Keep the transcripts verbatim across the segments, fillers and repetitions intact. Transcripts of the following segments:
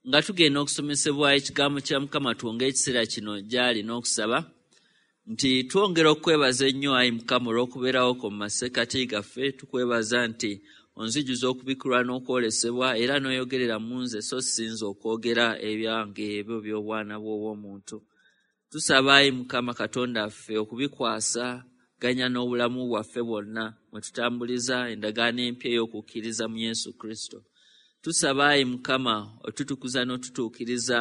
Nga tugenda okusomesebwa ekigambo kya Mukama, twongere ekiseera kino gy'ali n'okusaba nti twongera okwebaza ennyo ayi Mukama olw'okubeerawo ko mu masekkati gaffe. Tukwebaza nti onzijuza okubikkulwa n'okwolesebwa era n'oyogerera mu nze, so sinza okwogera ebyange ebyo by'obwana bw'obw'omuntu. Tusaba ayi Mukama Katonda ffe okubikwasa ganya n'obulamu bwaffe bwonna mwe tutambuliza endagaano empya ey'okukkiriza mu Yesu Kristo. Tusaba ayi Mukama otutukuza n'otutuukiriza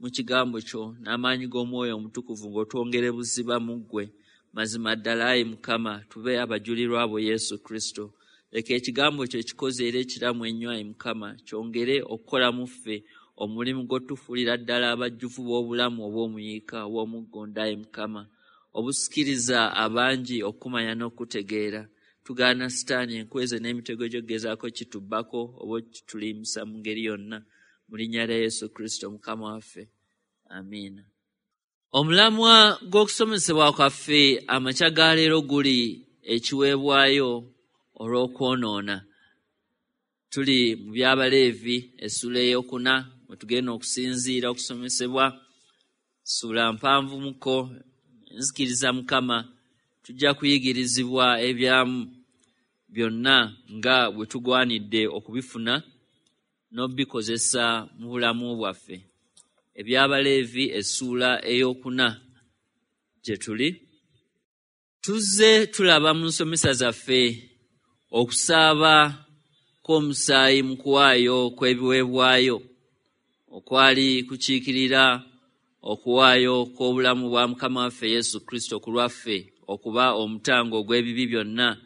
mu kigambo kyo n'amaanyi g'Omwoyo Omutukuvu ng'otwongere buziba mu ggwe. Mazima ddala ayi Mukama tube abajulirwa bo Yesu Kristo. Leka ekigambo kyo ekikoze era ekiramu ennyo ayi Mukama kyongere okukola mu ffe omulimu gw'otufuulira ddala abajjuvu b'obulamu obw'omuyiika obw'omuggonda ayi Mukama, obusikiriza abangi okumanya n'okutegeera. Tugaana Sitaani enkweze n'emitego gy'ogezaako kitubbako oba okitulimbisa mu ngeri yonna. Mu linnya lya Yesu Kristo Mukama waffe, amiina. Omulamwa gw'okusomesebwa kwaffe amakya ga leero guli ekiweebwayo olw'okwonoona. Tuli mu by'Abaleevi essula ey'okuna mwe tugenda okusinziira okusomesebwa. Ssuula mpanvumuko, nzikiriza Mukama tujja kuyigirizibwa ebyamu byonna nga bwe tugwanidde okubifuna n'obikozesa mu bulamu bwaffe. Eby'Abaleevi essuula ey'okuna gye tuli. Tuzze tulaba mu nsomesa zaffe okusaaba kw'omusaayi mu kuwaayo kw'ebiweebwayo okwali kukiikirira okuwaayo kw'obulamu bwa Mukama waffe Yesu Kristo ku lwaffe okuba omutango ogw'ebibi byonna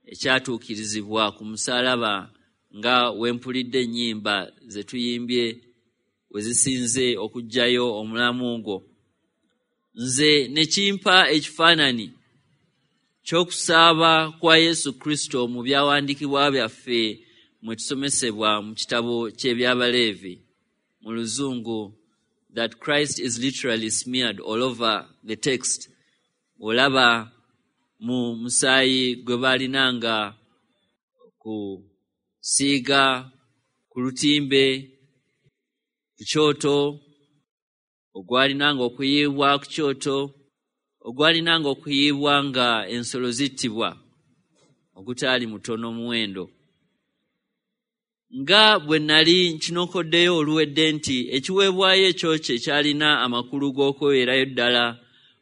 ekyatuukirizibwa ku musaalaba, nga wempulidde ennyimba ze tuyimbye we zisinze okuggyayo omulamu ogwo. Nze ne kimpa ekifaananyi ky'okusaaba kwa Yesu Kristo mu byawandiikibwa byaffe mwe tusomesebwa mu kitabo ky'Ebyabaleevi mu Luzungu, that Christ is literally smeared all over the text. Olaba mu musaayi gwe baalinanga kusiiga ku lutimbe ku kyoto, ogwalinanga okuyiibwa ku kyoto, ogwalinanga okuyiibwa nga ensolo zittibwa, ogutaali mutono muwendo. Nga bwe nali nkinokoddeyo oluwedde nti ekiweebwayo ekyo kye kyalina amakulu g'okweweerayo ddala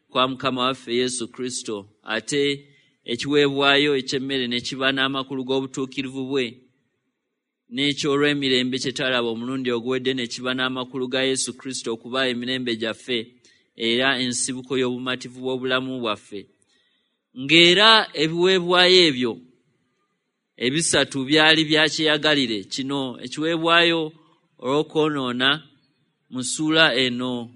kwa Mukama waffe Yesu Kristo, ate ekiweebwayo eky'emmere ne kiba n'amakulu g'obutuukirivu bwe, n'ekyolw'emirembe kye twalaba omulundi oguwedde ne kiba n'amakulu ga Yesu Kristo okuba emirembe gyaffe era ensibuko y'obumativu bw'obulamu bwaffe. Ng'era ebiweebwayo ebyo ebisatu byali bya kyeyagalire. Kino ekiweebwayo olw'okwonoona mu ssuula eno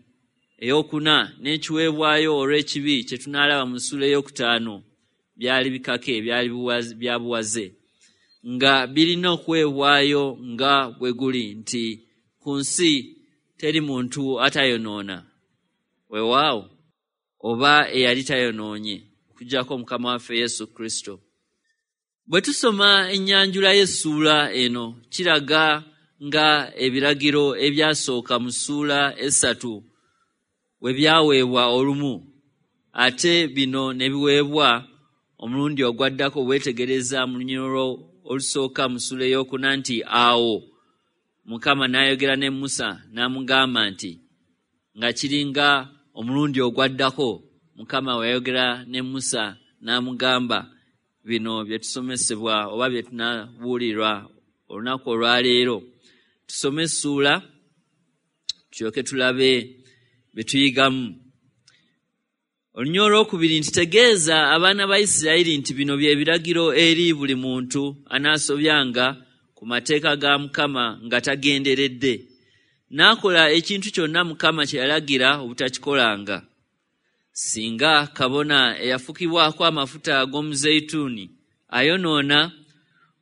ey'okuna n'ekiweebwayo olw'ekibi kye tunaalaba mu ssuula ey'okutaano byali bikake, byali bya buwaze, nga birina okuweebwayo nga bwe guli nti ku nsi teri muntu atayonoona, weewaawo oba eyali tayonoonye okuggyako Mukama waffe Yesu Kristo. Bwe tusoma ennyanjula y'essuula eno kiraga nga ebiragiro ebyasooka mu ssuula essatu we byaweebwa olumu, ate bino ne biweebwa omulundi ogwaddako. Weetegereza mu lunyiriri olusooka mu ssuula ey'okuna nti awo Mukama n'ayogera ne Musa n'amugamba nti, nga kiringa omulundi ogwaddako Mukama we yayogera ne Musa n'amugamba bino bye tusomesebwa oba bye tunabuulirwa olunaku olwaleero. Tusome essuula tulyoke tulabe bye tuyigamu. Olunyiriri olwokubiri nti tegeeza abaana ba Isirayiri nti bino bye biragiro eri buli muntu anaasobyanga ku mateeka ga Mukama nga tagenderedde, n'akola ekintu kyonna Mukama kye yalagira obutakikolanga. Singa kabona eyafukibwako amafuta ag'omuzeyituuni ayonoona,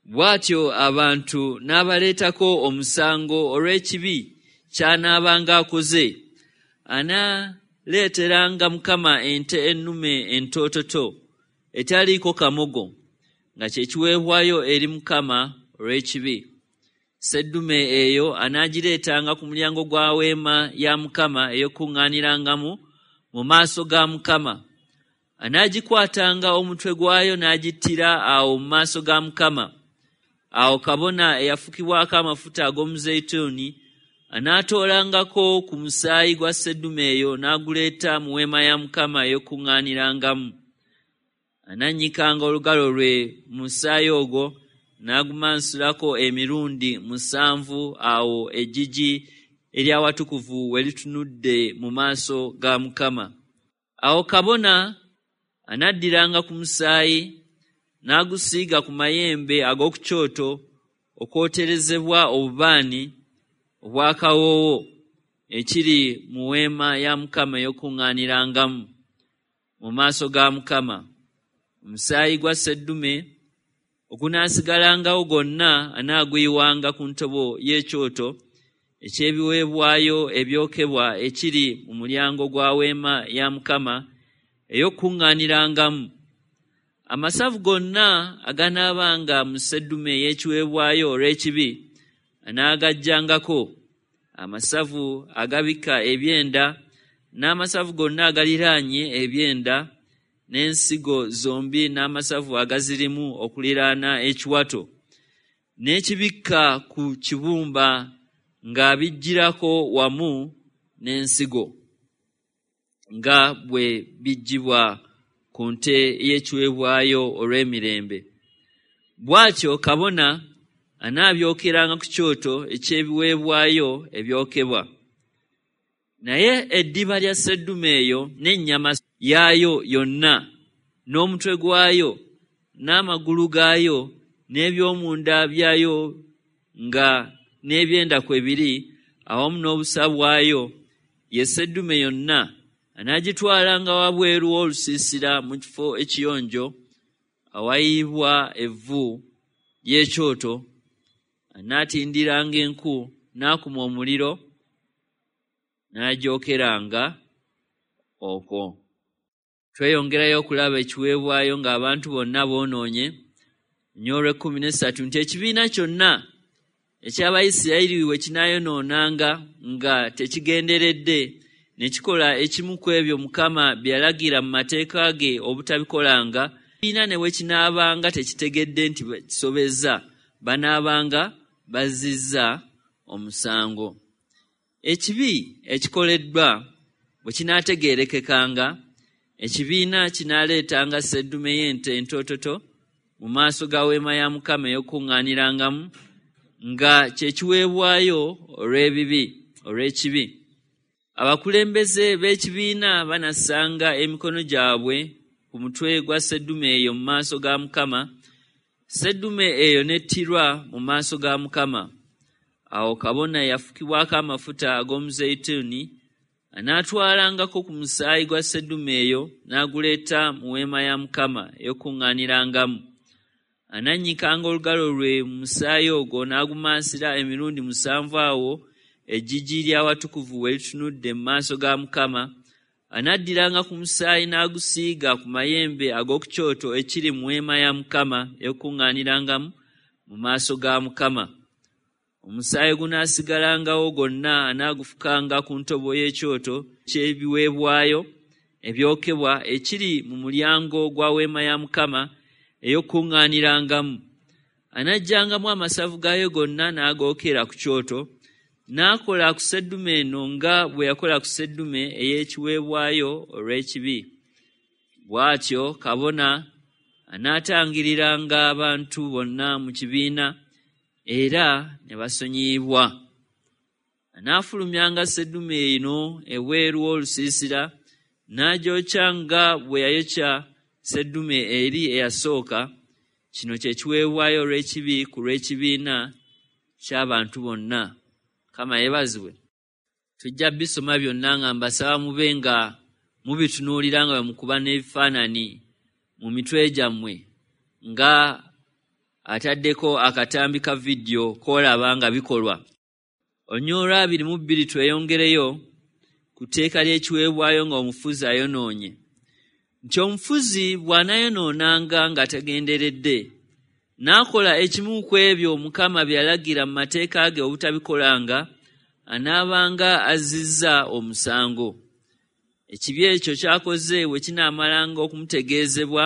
bw'atyo abantu n'abaleetako omusango olw'ekibi ky'anaabanga akoze, anaaleeteranga Mukama ente ennume entoototo etaliiko kamogo, nga kye kiweebwayo eri Mukama olw'ekibi. Seddume eyo anaagireetanga ku mulyango gwa weema ya Mukama ey'okukuŋŋaanirangamu mu maaso ga Mukama. Anaagikwatanga omutwe gwayo n'agittira awo mu maaso ga Mukama. Awo kabona eyafukibwako amafuta ag'omuzeyituuni anaatoolangako ku musaayi gwa seddume eyo n'aguleeta mu weema ya Mukama ey'okukuŋŋaanirangamu. Anannyikanga olugalo lwe mu musaayi ogwo n'agumansulako emirundi musanvu awo eggigi ery'awatukuvu we litunudde mu maaso ga Mukama. Awo kabona anaddiranga ku musaayi n'agusiiga ku mayembe ag'oku kyoto okwoterezebwa obubaani obw'akawoowo ekiri mu weema ya Mukama ey'okukuŋŋaanirangamu mu maaso ga Mukama. Omusaayi gwa seddume ogunaasigalangawo gwonna anaaguyiwanga ku ntobo y'ekyoto eky'ebiweebwayo ebyokebwa ekiri mu mulyango gwa weema ya Mukama ey'okukuŋŋaanirangamu. Amasavu gonna aganaabanga mu seddume ey'ekiweebwayo olw'ekibi anaagaggyangako, amasavu agabikka ebyenda n'amasavu gonna agaliraanye ebyenda n'ensigo zombi n'amasavu agazirimu okuliraana ekiwato n'ekibikka ku kibumba ng'abiggyirako wamu n'ensigo nga bwe biggyibwa ku nte y'ekiweebwayo olw'emirembe. Bw'atyo kabona anaabyokeranga ku kyoto eky'ebiweebwayo ebyokebwa. Naye eddiba lya seddume eyo n'ennyama yaayo yonna n'omutwe gwayo n'amagulu gaayo n'eby'omunda byayo nga n'ebyenda kwe biri awamu n'obusa bwayo, ye seddume yonna anaagitwalanga wabweru w'olusiisira mu kifo ekiyonjo awayibwa evvu ly'ekyoto. Anaatindiranga enku n'akuma omuliro n'agyokeranga okwo. Tweyongerayo okulaba ekiweebwayo ng'abantu bonna boonoonye. Nnyo olw'ekkumi n'essatu nti ekibiina kyonna eky'Abayisirayiri bwe kinaayonoonanga nga tekigenderedde ne kikola ekimu ku ebyo Mukama bye yalagira mu mateeka ge obutabikolanga, ekibiina ne bwe kinaabanga tekitegedde nti kisobezza, banaabanga bazzizza omusango. Ekibi ekikoleddwa bwe kinaategeerekekanga, ekibiina kinaaleetanga seddume y'ente entoototo mu maaso ga weema ya Mukama ey'okukuŋŋaanirangamu nga kye kiweebwayo olw'ebibi olw'ekibi. Abakulembeze b'ekibiina banassanga emikono gyabwe ku mutwe gwa seddume eyo mu maaso ga Mukama, seddume eyo n'ettirwa mu maaso ga Mukama. Awo kabona eyafukibwako amafuta ag'omuzeyituuni anaatwalangako ku musaayi gwa seddume eyo n'aguleeta mu weema ya Mukama ey'okukuŋŋaanirangamu. Anannyikanga olugalo lwe mu musaayi ogwo n'agumansira emirundi musanvu awo eggigi ly'awatukuvu we litunudde mu maaso ga Mukama. Anaddiranga ku musaayi n'agusiiga ku mayembe ag'oku kyoto ekiri mu weema ya Mukama ey'okukuŋŋaanirangamu mu maaso ga Mukama. Omusaayi gunaasigalangawo gwonna anaagufukanga ku ntobo y'ekyoto ky'ebiweebwayo ebyokebwa ekiri mu mulyango gwa weema ya Mukama ey'okukuŋŋaanirangamu. Anaggyangamu amasavu gaayo gonna n'agookera ku kyoto, n'akola ku seddume eno nga bwe yakola ku seddume ey'ekiweebwayo olw'ekibi. Bw'atyo kabona anaatangiriranga abantu bonna mu kibiina era ne basonyiyibwa. Anaafulumyanga seddume eno ebweru w'olusiisira n'agyokya nga bwe yayokya seddume eri eyasooka. Kino kye kiweebwayo olw'ekibi ku lw'ekibiina ky'abantu bonna. Mukama yeebazibwe. Tujja bisoma byonna nga mbasaba mube nga mubitunuulira nga bwe mukuba n'ebifaananyi mu mitwe gyammwe nga ataddeko akatambi ka vidiyo k'olaba nga bikolwa. Olunyiriri abiri mu bbiri tweyongereyo ku tteeka ly'ekiweebwayo nga omufuzi ayonoonye. Nti omufuzi bw'anaayonoonanga nga tagenderedde, n'akola ekimu ku ebyo Mukama bye yalagira mu mateeka ge obutabikolanga, anaabanga azzizza omusango. Ekibi ekyo ky'akoze bwe kinaamalanga okumutegeezebwa,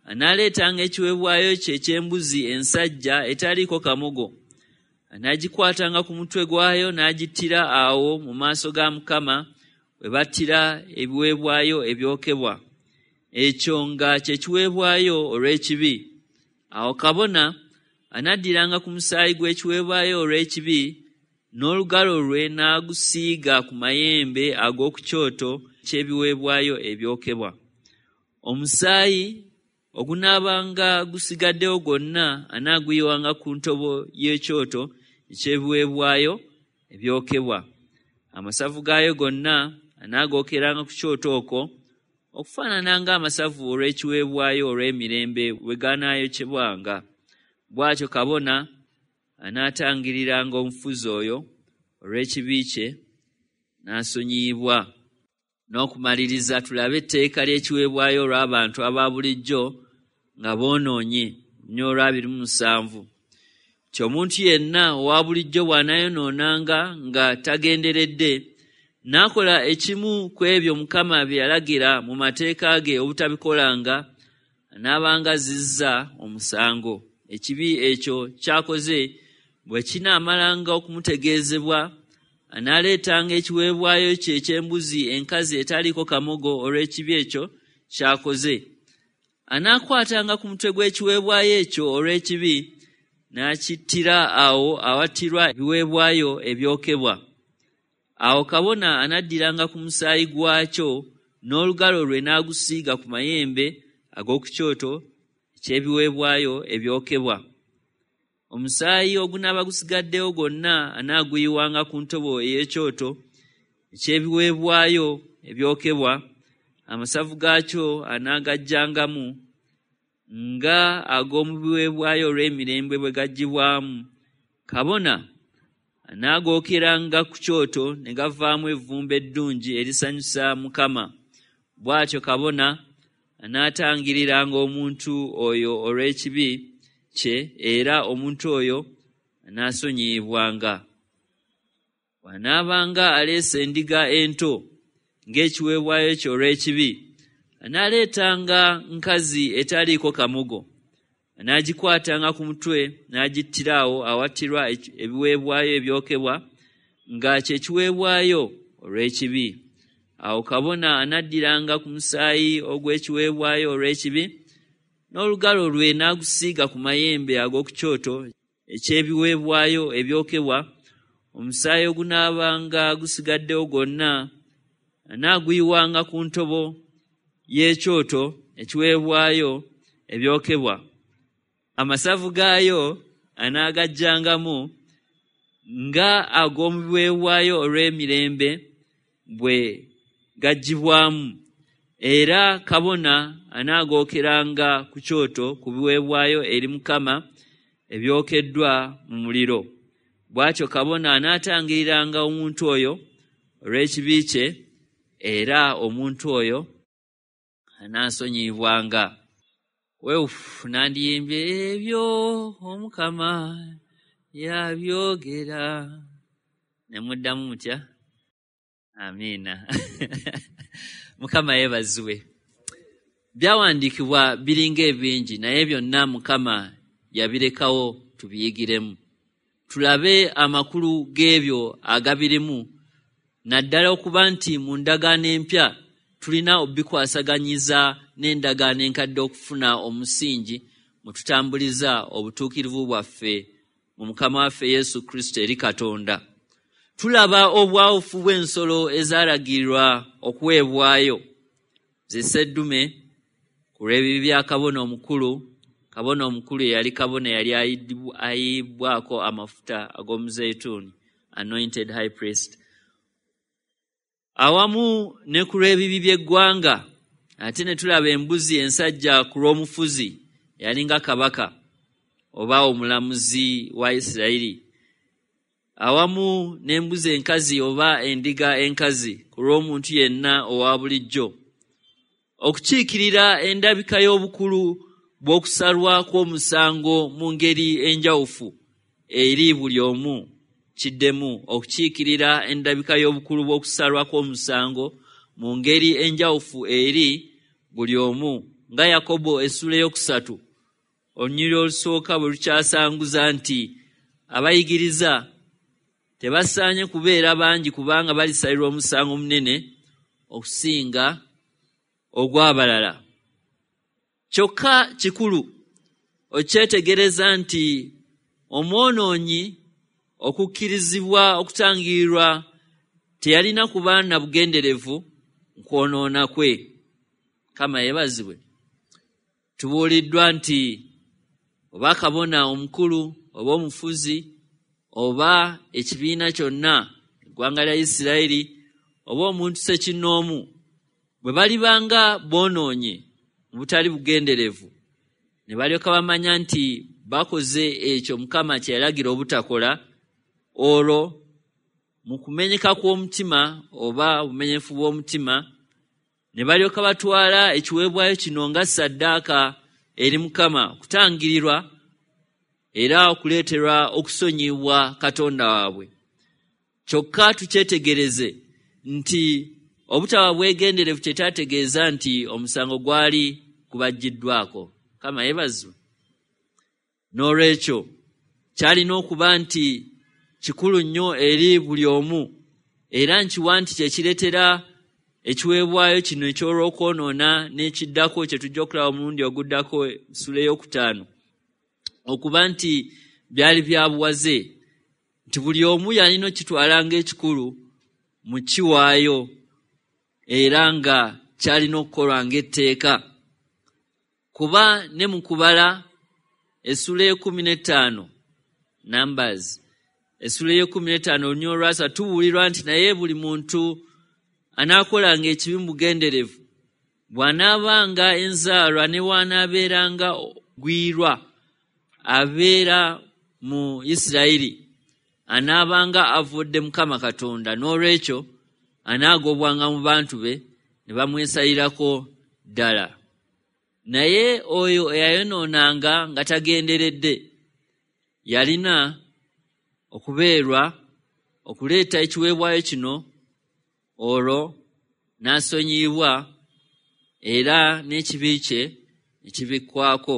anaaleetanga ekiweebwayo kye eky'embuzi ensajja etaliiko kamogo. Anaagikwatanga ku mutwe gwayo n'agittira awo mu maaso ga Mukama we battira ebiweebwayo ebyokebwa. Ekyo nga kye kiweebwayo olw'ekibi. Awo kabona anaddiranga ku musaayi gw'ekiweebwayo olw'ekibi n'olugalo lwe n'agusiiga ku mayembe ag'oku kyoto ky'ebiweebwayo ebyokebwa. Omusaayi ogunaabanga gusigaddewo gwonna anaaguyiwanga ku ntobo y'ekyoto eky'ebiweebwayo ebyokebwa. Amasavu gaayo gonna anaagookeranga ku kyoto okwo, okufaanana ng'amasavu olw'ekiweebwayo olw'emirembe bwe ganaayokyebwanga. Bw'atyo kabona anaatangiriranga omufuzi oyo olw'ekibi kye, n'asonyiyibwa. N'okumaliriza tulabe etteeka ly'ekiweebwayo olw'abantu aba bulijjo nga boonoonye, nnyo olw'abiri mu musanvu. Nti omuntu yenna owa bulijjo bw'anaayonoonanga nga tagenderedde, n'akola ekimu ku ebyo Mukama bye yalagira mu mateeka ge obutabikolanga, anaabanga azzizza omusango. Ekibi ekyo ky'akoze bwe kinaamalanga okumutegeezebwa, anaaleetanga ekiweebwayo kye eky'embuzi enkazi etaliiko kamogo olw'ekibi ekyo ky'akoze. Anaakwatanga ku mutwe gw'ekiweebwayo ekyo olw'ekibi, n'akittira awo awattirwa ebiweebwayo ebyokebwa. Awo kabona anaddiranga ku musaayi gwakyo n'olugalo lwe n'agusiiga ku mayembe ag'oku kyoto eky'ebiweebwayo ebyokebwa. Omusaayi ogunaaba gusigaddewo gwonna anaaguyiwanga ku ntobo ey'ekyoto eky'ebiweebwayo ebyokebwa. Amasavu gaakyo anaagagyangamu nga ag'omu biweebwayo olw'emirembe bwe gaggyibwamu. Kabona anaagookeranga ku kyoto ne gavaamu evvumbe eddungi erisanyusa Mukama. Bw'atyo kabona anaatangiriranga omuntu oyo olw'ekibi kye, era omuntu oyo anaasonyiyibwanga. Bw'anaabanga aleese endiga ento ng'ekiweebwayo kye olw'ekibi, anaaleetanga nkazi etaliiko kamogo. Anaagikwatanga ku mutwe n'agittira awo awattirwa ebiweebwayo ebyokebwa nga kye kiweebwayo olw'ekibi. Awo kabona anaddiranga ku musaayi ogw'ekiweebwayo olw'ekibi n'olugalo lwe n'agusiiga ku mayembe ag'oku kyoto eky'ebiweebwayo ebyokebwa. Omusaayi ogunaabanga gusigaddewo gwonna anaaguyiwanga ku ntobo y'ekyoto ekiweebwayo ebyokebwa. Amasavu gaayo anaagagyangamu nga ag'omu biweebwayo olw'emirembe bwe gaggyibwamu, era kabona anaagookeranga ku kyoto ku biweebwayo eri Mukama ebyokeddwa mu muliro. Bw'atyo kabona anaatangiriranga omuntu oyo olw'ekibi kye, era omuntu oyo anaasonyiyibwanga. Weefu nandiyimbye ebyo Omukama yabyogera. Ne muddamu mutya? Amiina. Mukama yeebazibwe. Byawandiikibwa biringa ebingi, naye byonna Mukama yabirekawo tubiyigiremu. Tulabe amakulu g'ebyo agabirimu, naddala okuba nti mu ndagaano empya tulina obikwasaganyiza n'endagaano enkadde okufuna omusingi mwe tutambuliza obutuukirivu bwaffe mu Mukama waffe Yesu Kristo eri Katonda. Tulaba obwawufu bw'ensolo ezaalagirwa okuweebwayo, ze sseddume ku lw'ebibi bya kabona omukulu. Kabona omukulu eyali kabona yali ayiibwako amafuta ag'omuzeyituuni, anointed high priest, awamu ne ku lw'ebibi by'eggwanga. Ate ne tulaba embuzi ensajja ku lw'omufuzi yalinga kabaka oba omulamuzi wa Isirayiri, awamu n'embuzi enkazi oba endiga enkazi ku lw'omuntu yenna owa bulijjo, okukiikirira endabika y'obukulu bw'okusalwa kw'omusango mu ngeri enjawufu eri buli omu. Kiddemu okukiikirira endabika y'obukulu bw'okusalwa kw'omusango mu ngeri enjawufu eri buli omu, nga Yakobo essula eyokusatu olunyiriri olusooka bwe lukyasanguza nti abayigiriza tebasaanye kubeera bangi kubanga balisalirwa omusango munene okusinga ogw'abalala. Kyokka kikulu okyetegereza nti omwonoonyi okukkirizibwa okutangirirwa teyalina kuba na bugenderevu nkwonoona kwe. Mukama yeebazibwe. Tubuuliddwa nti oba kabona omukulu oba omufuzi oba ekibiina kyonna eggwanga lya Isirayiri oba omuntu ssekinnoomu bwe balibanga boonoonye mu butali bugenderevu ne balyoka bamanya nti bakoze ekyo Mukama kye yalagira obutakola, olwo mu kumenyeka kw'omutima oba obumenyefu bw'omutima ne balyoka batwala ekiweebwayo kino nga ssaddaaka eri Mukama okutangirirwa era okuleeterwa okusonyiyibwa Katonda waabwe. Kyokka tukyetegereze nti obutaba bwegenderevu kyetaategeeza nti omusango gwali gubaggiddwako. Mukama yeebazibwe. N'olwekyo kyalina okuba nti kikulu nnyo eri buli omu, era nkiwa nti kye kireetera ekiweebwayo kino eky'olwokwonoona n'ekiddako kye tujja okulaba omulundi oguddako essula ey'okutaano okuba nti byali bya buwaze, nti buli omu yalina okitwala ng'ekikulu mu kiwaayo era nga kyalina okukolwa ng'etteeka. Kuba ne mu kubala essula ey'ekkumi n'ettaano Numbers essula ey'ekkumi n'ettaano olunyiriri olwasatu tubuulirwa nti naye buli muntu anaakolanga ekibi mu bugenderevu bw'anaabanga enzaalwa ne bw'anaabeeranga gwirwa abeera mu Isirayiri anaabanga avudde Mukama Katonda, n'olwekyo anaagobwanga mu bantu be ne bamwesalirako ddala. Naye oyo eyayonoonanga nga tagenderedde yalina okubeerwa okuleeta ekiweebwayo kino, olwo n'asonyiyibwa era n'ekibi kye ne kibikwako.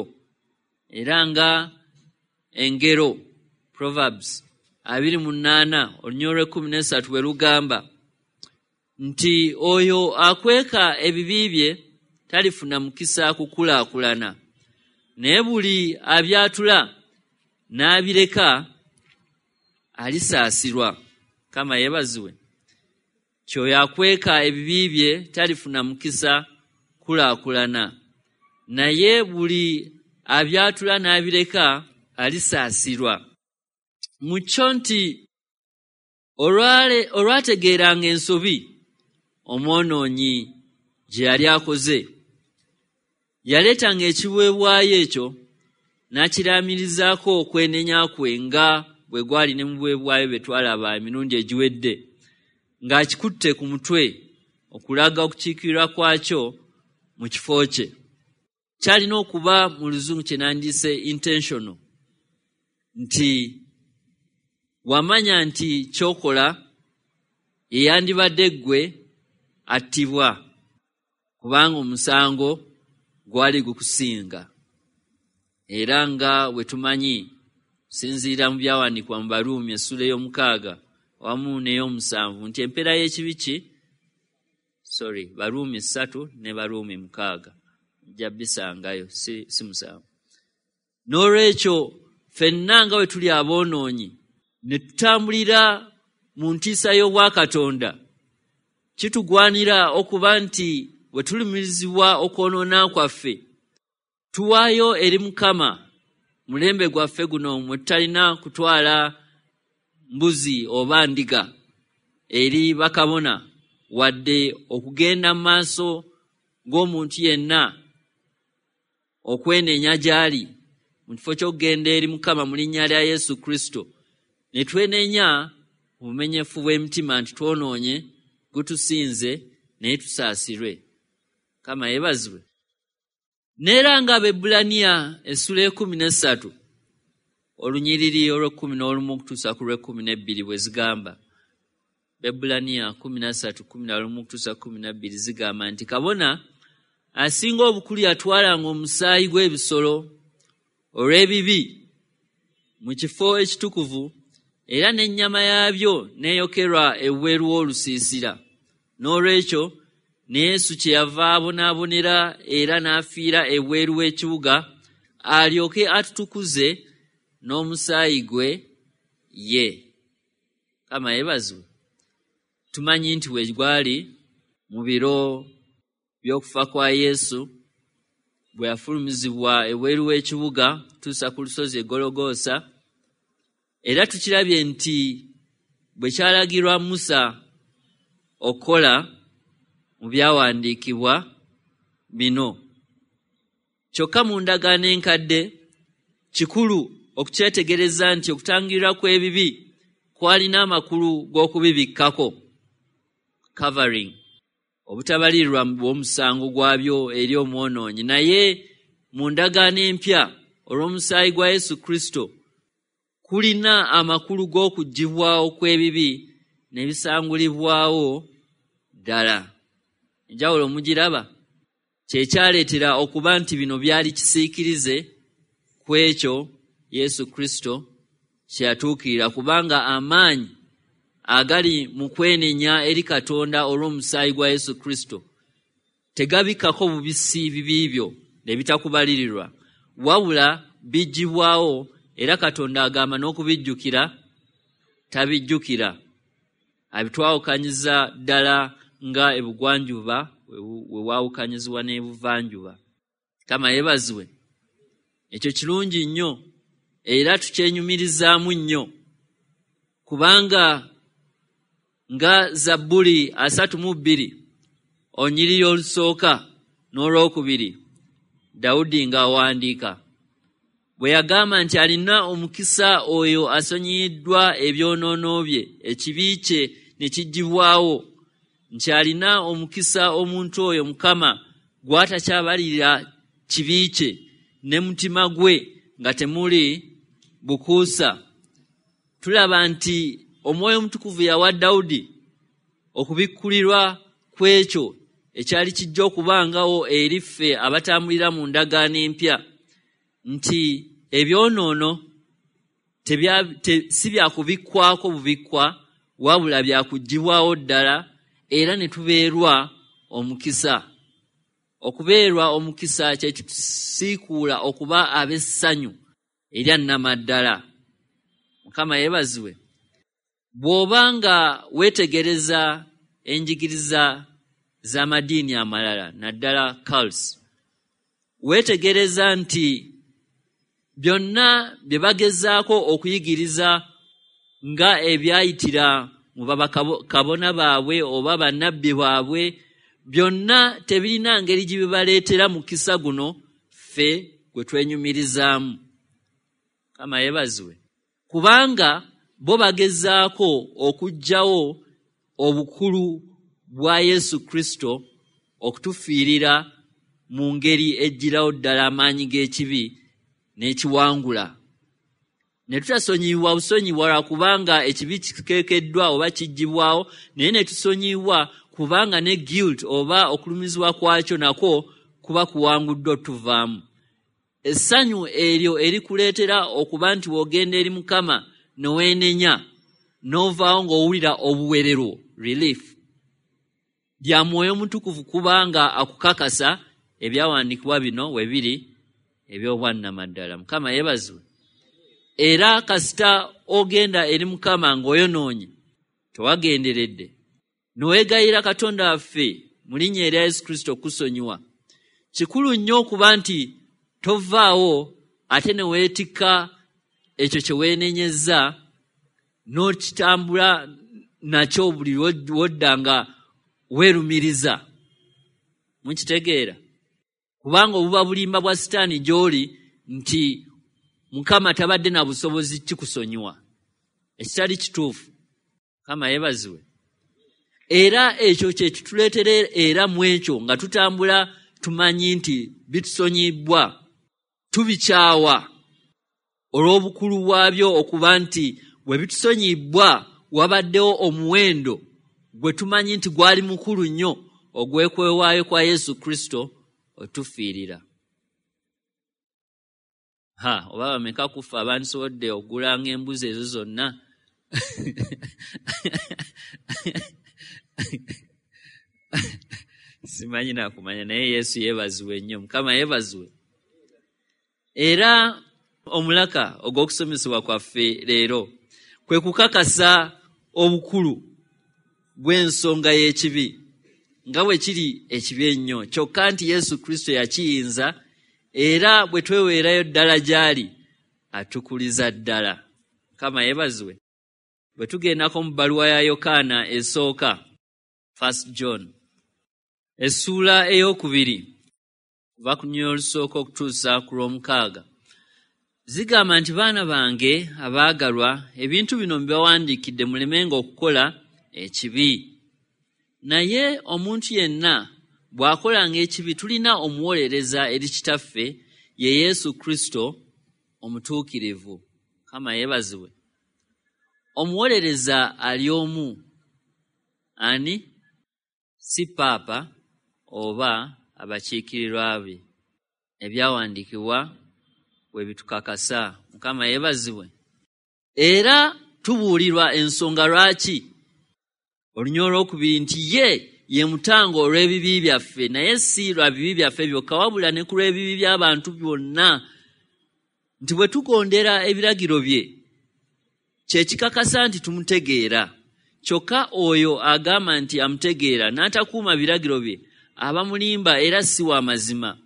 Era nga engero Proverbs abiri mu nnaana olunyiriri olw'ekkumi n'essatu bwe lugamba nti oyo akweka ebibi bye talifuna mukisa kukulaakulana, naye buli abyatula n'abireka alisaasirwa. Mukama yeebazibwe. Kyoyo akweka ebibi bye talifuna mukisa kukulaakulana, naye buli abyatula n'abireka alisaasirwa. Mu kyo nti olwategeeranga ensobi omwonoonyi gye yali akoze, yaleetanga ekiweebwayo ekyo n'akiraamirizaako okwenenya kwe nga bwe gwali ne mu biweebwayo bye twalaba emirundi egiwedde, ng'akikutte ku mutwe okulaga okukiikirira kwakyo mu kifo kye. Kyalina okuba mu luzungu kye nandiyise intentional, nti wamanya nti ky'okola yeyandibadde ggwe attibwa kubanga omusango gwali gukusinga. Era nga bwe tumanyi sinziira mu byawandiikibwa mu Baruumi essula ey'omukaaga wamu n'ey'omusanvu nti empeera y'ekibi ki sorry Baruumi ssatu ne Baruumi mukaaga nja bisangayo si, si musanvu. N'olwekyo ffenna nga bwe tuli aboonoonyi ne tutambulira mu ntiisa y'obwakatonda, kitugwanira okuba nti bwe tulumirizibwa okwonoona kwaffe tuwaayo eri Mukama mulembe gwaffe guno mwe tutalina kutwala mbuzi oba ndiga eri bakabona wadde okugenda mu maaso g'omuntu yenna okwenenya gy'ali mu kifo ky'okugenda eri Mukama mu linnya lya Yesu Kristo ne twenenya obumenyefu bw'emitima nti twonoonye gutusinze naye tusaasirwe. Mukama yeebazibwe. Neera nga Abaebbulaniya essula ekumi n'essatu olunyiriri olw'ekkumi n'olumu okutuusa ku lw'ekkumi n'ebbiri bwe zigamba. Abaebbulaniya kkumi na ssatu kkumi na lumu okutuusa kkumi na bbiri zigamba nti kabona asinga obukulu yatwalanga omusaayi gw'ebisolo olw'ebibi mu kifo ekitukuvu, era n'ennyama yaabyo n'eyokerwa ebweru w'olusiisira. N'olwekyo ne Yesu kyeyava abonaabonera era n'afiira ebweru w'ekibuga, alyoke atutukuze n'omusaayi gwe ye. Mukama yeebazibwe. Tumanyi nti bwe gwali mu biro by'okufa kwa Yesu, bwe yafulumizibwa ebweru w'ekibuga tuusa ku lusozi e Gologoosa, era tukirabye nti bwe kyalagirwa Musa okukola mu byawandiikibwa bino. Kyokka mu ndagaano enkadde kikulu okukyetegereza nti okutangirira kw'ebibi kwalina amakulu g'okubibikkako, covering, obutabalirwa bw'omusango gwabyo eri omwonoonyi. Naye mu ndagaano empya olw'omusaayi gwa Yesu Kristo kulina amakulu g'okuggyibwawo kw'ebibi ne bisangulibwawo ddala. Enjawulo mugiraba? Kye kyaleetera okuba nti bino byali kisiikirize ku ekyo Yesu Kristo kye yatuukirira, kubanga amaanyi agali mu kwenenya eri Katonda olw'omusaayi gwa Yesu Kristo tegabikkako bubisi bibi byo ne bitakubalirirwa, wabula biggyibwawo, era Katonda agamba n'okubijjukira tabijjukira. Abitwawukanyiza ddala nga ebugwanjuba we waawukanyizibwa n'ebuvanjuba. Mukama yeebazibwe. Ekyo kirungi nnyo era tukyenyumirizaamu nnyo, kubanga nga Zabbuli asatu mu bbiri olunyiriri olusooka n'olwokubiri Dawudi ng'awandiika bwe yagamba nti alina omukisa oyo asonyiyiddwa ebyonoono bye, ekibi kye ne kiggyibwawo, nti alina omukisa omuntu oyo Mukama gw'atakyabalirira kibi kye ne mutima gwe nga temuli bukuusa. Tulaba nti Omwoyo Omutukuvu yawa Dawudi okubikkulirwa kw'ekyo ekyali kijja okubangawo eri ffe abatambulira mu ndagaano empya, nti ebyonoono si bya kubikkwako bubikkwa, wabula bya kuggyibwawo ddala, era ne tubeerwa omukisa. Okubeerwa omukisa kye kitusiikuula okuba ab'essanyu erya nnamaddala. Mukama yeebazibwe. Bw'oba nga weetegereza enjigiriza z'amadiini amalala, naddala cults, weetegereza nti byonna bye bagezaako okuyigiriza nga ebyayitira mu bakabona baabwe oba bannabbi baabwe, byonna tebirina ngeri gye bibaleetera mukisa guno ffe gwe twenyumirizaamu. Mukama yeebazibwe. Kubanga bo bagezaako okuggyawo obukulu bwa Yesu Kristo okutufiirira mu ngeri ejjirawo ddala amaanyi g'ekibi n'ekiwangula. Ne tutasonyiyibwa busonyiwa lwakubanga ekibi kikekeddwa oba kiggyibwawo, naye ne tusonyiyibwa kubanga ne guilt oba okulumizibwa kwakyo nakwo kuba kuwanguddwa tuvaamu. Essanyu eryo erikuleetera okuba nti w'ogenda eri Mukama ne weenenya n'ovaawo ng'owulira obuwererwo, relief, lya Mwoyo Mutukuvu, kubanga akukakasa ebyawandiikibwa bino we biri eby'obwannamaddala. Mukama yeebazibwe. Era kasita ogenda eri Mukama ng'oyonoonye, tewagenderedde, ne weegayira Katonda waffe mu linnya erya Yesu Kristo okusonyiwa, kikulu nnyo okuba nti tovaawo ate ne weetikka ekyo kye weenenyezza n'okitambula nakyo buli lw'odda nga weerumiriza. Mukitegeera? Kubanga obuba bulimba bwa Sitaani gy'oli nti Mukama tabadde na busobozi kikusonyiwa, ekitali kituufu. Mukama yeebazibwe. Era ekyo kye kituleetera era mu ekyo nga tutambula tumanyi nti bitusonyibwa, tubikyawa olw'obukulu bwabyo, okuba nti bwe bitusonyibwa wabaddewo omuwendo gwe tumanyi nti gwali mukulu nnyo ogw'ekwewaayo kwa Yesu Kristo otufiirira. Ha, oba bameka kufa abandisobodde okugulanga embuzi ezo zonna? Simanyi nakumanya, naye Yesu yeebazibwe nnyo, Mukama yeebazibwe. Era omulaka ogw'okusomesebwa kwaffe leero kwe kukakasa obukulu bw'ensonga y'ekibi nga bwe kiri ekibi ennyo, kyokka nti Yesu Kristo yakiyinza, era bwe tweweerayo ddala gy'ali atukuliza ddala. Mukama yeebazibwe. Bwe tugendako mu bbaluwa ya Yokaana esooka, First John, essuula ey'okubiri kuva ku nnyonyi olusooka okutuusa ku lw'omukaaga, zigamba nti, baana bange abaagalwa, ebintu bino mbibawandiikidde mulemenga okukola ekibi. Naye omuntu yenna bw'akolanga ekibi, tulina omuwolereza eri Kitaffe, ye Yesu Kristo omutuukirivu. Mukama yeebazibwe. Omuwolereza ali omu, ani? Si Paapa oba abakiikirirwa be. Ebyawandiikibwa bwe bitukakasa. Mukama yeebazibwe. Era tubuulirwa ensonga lwaki olunyolo olwokubiri nti ye ye mutango olw'ebibi byaffe, naye si lwa bibi byaffe byokka, wabula ne ku lw'ebibi by'abantu byonna, nti bwe tugondera ebiragiro bye kye kikakasa nti tumutegeera. Kyokka oyo agamba nti amutegeera n'atakuuma biragiro bye aba mulimba era si wa mazima.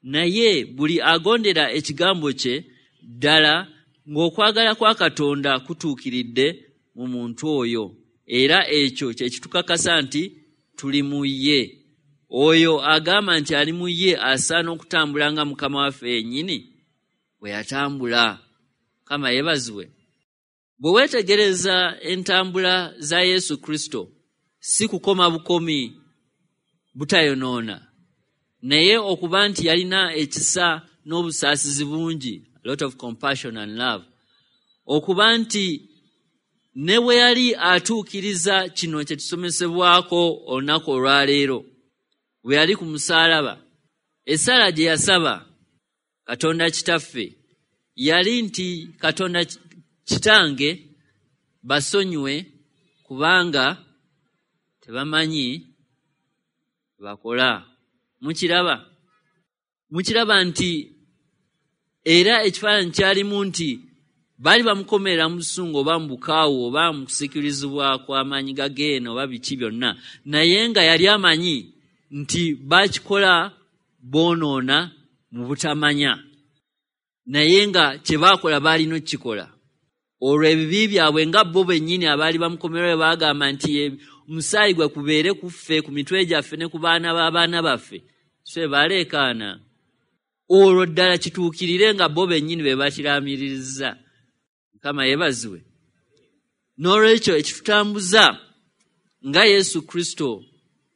Naye buli agondera ekigambo kye ddala ng'okwagala kwa Katonda kutuukiridde mu muntu oyo, era ekyo kye kitukakasa nti tuli mu ye. Oyo agamba nti ali mu ye asaana okutambula nga Mukama waffe yennyini bwe yatambula. Mukama yeebazibwe. Bwe weetegereza entambula za Yesu Kristo, si kukoma bukomi butayonoona, naye okuba nti yalina ekisa n'obusaasizi bungi, a lot of compassion and love, okuba nti ne bwe yali atuukiriza kino kye tusomesebwako olunaku olwaleero, bwe yali ku musaalaba, essala gye yasaba Katonda Kitaffe yali nti, Katonda Kitange, basonyiwe kubanga tebamanyi bakola. Mukiraba? Mukiraba nti era ekifaananyi kyalimu nti baali bamukomerera mu busungu oba mu bukaawu oba mu kusikirizibwa kw'amaanyi ga geena oba biki byonna, naye nga yali amanyi nti bakikola boonoona mu butamanya, naye nga kye baakola baalina okukikola. Olwo ebibi byabwe nga bo bennyini abaali bamukomerera baagamba nti omusaayi gwe kubeere ku ffe, ku mitwe gyaffe ne ku baana b'abaana baffe, so baleekaana. Olwo ddala kituukirire nga bo bennyini be bakiraamiriza. Mukama yeebazibwe. N'olwekyo ekitutambuza nga Yesu Kristo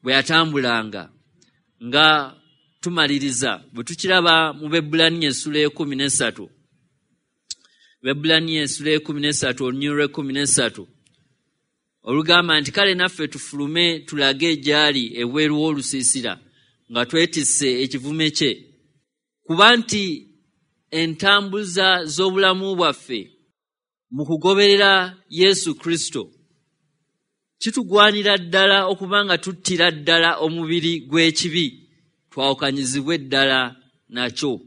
bwe yatambulanga, nga tumaliriza bwe tukiraba mu Bebbulaniya essula ekumi n'essatu, Bebbulaniya essula ekumi n'essatu olunyiriri lw'ekkumi n'essatu olugamba nti, kale naffe tufulume tulage gy'ali ebweru w'olusiisira nga twetisse ekivume kye, kuba nti entambuza z'obulamu bwaffe mu kugoberera Yesu Kristo kitugwanira ddala okuba nga tuttira ddala omubiri gw'ekibi, twawukanyizibwe ddala nakyo,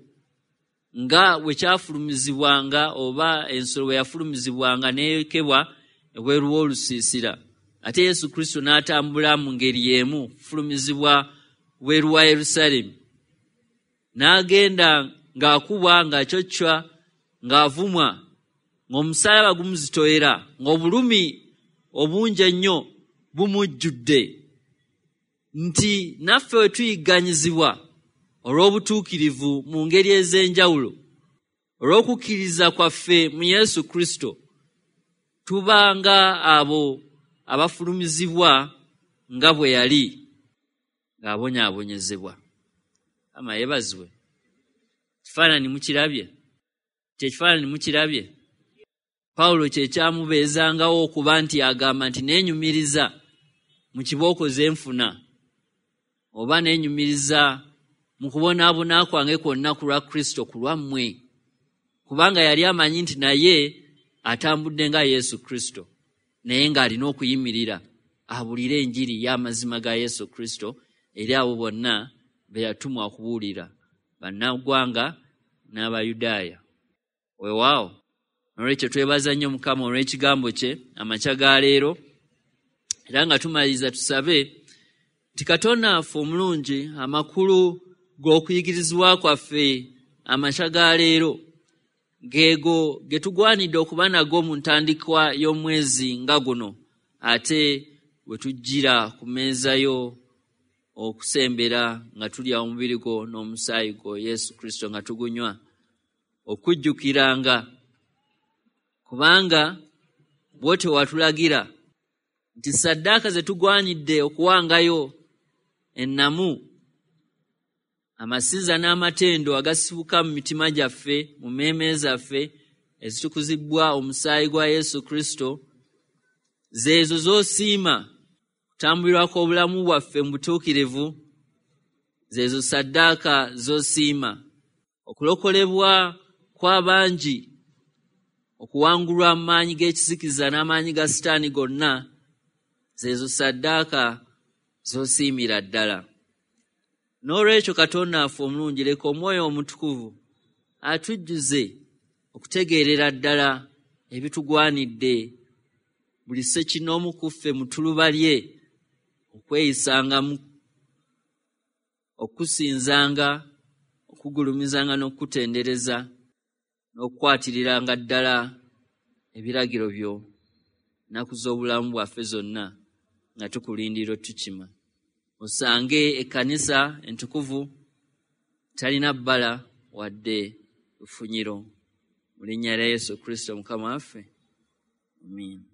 nga bwe kyafulumizibwanga oba ensolo bwe yafulumizibwanga n'eyokebwa ebweru w'olusiisira. Ate Yesu Kristo n'atambula mu ngeri y'emu kufulumizibwa bweru wa Yerusaalemi, n'agenda ng'akubwa, ng'acoccwa, ng'avumwa, ng'omusaalaba gumuzitoyera, ng'obulumi obungi ennyo bumujjudde, nti naffe we tuyigganyizibwa olw'obutuukirivu mu ngeri ez'enjawulo, olw'okukkiriza kwaffe mu Yesu Kristo, tuba nga abo abafulumizibwa nga bwe yali ng'abonyaabonyezebwa. Ama yeebazibwe. Kifaananyi mukirabye? Kyekifaananyi mukirabye? Pawulo kye kyamubeezangawo okuba nti agamba nti neenyumiriza mu kibooko ze nfuna, oba neenyumiriza mu kubonaabona kwange kwonna ku lwa Kristo ku lwammwe, kubanga yali amanyi nti naye atambudde nga Yesu Kristo, naye ng'alina okuyimirira abuulire enjiri y'amazima ga Yesu Kristo eri abo bonna be yatumwa okubuulira, bannaggwanga n'Abayudaaya. Weewaawo, n'olwekyo twebaza nnyo Mukama olw'ekigambo kye amakya ga leero, era nga tumaliriza tusabe nti Katonda waffe omulungi, amakulu g'okuyigirizibwa kwaffe amakya ga leero geego ge tugwanidde okuba nago mu ntandikwa y'omwezi nga guno, ate we tujjira ku mmeeza yo okusembera nga tulya omubiri gwo n'omusaayi gwo Yesu Kristo nga tugunywa, okujjukiranga, kubanga bw'otyo watulagira nti ssaddaaka ze tugwanidde okuwangayo ennamu, amasinza n'amatendo agasibuka mu mitima gyaffe, mu mmeeme zaffe ezitukuzibwa omusaayi gwa Yesu Kristo, zeezo z'osiima kutambulirwako obulamu bwaffe mu butuukirivu, zeezo ssaddaaka z'osiima okulokolebwa kw'abangi, okuwangulwa mu maanyi g'ekizikiza n'amaanyi ga Sitaani gonna, zeezo ssaddaaka z'osiimira ddala. N'olwekyo Katonda waffe omulungi, leka Omwoyo Omutukuvu atujjuze okutegeerera ddala ebitugwanidde buli ssekinnoomu ku ffe mu ttuluba lye okweyisangamu, okusinzanga, okugulumizanga n'okukutendereza, n'okukwatiriranga ddala ebiragiro byo nnaku z'obulamu bwaffe zonna nga tukulindira otukima. Osange ekkanisa entukuvu talina bbala wadde lufunyiro. Mu linnya lya Yesu Kristo Mukama waffe. Amiina.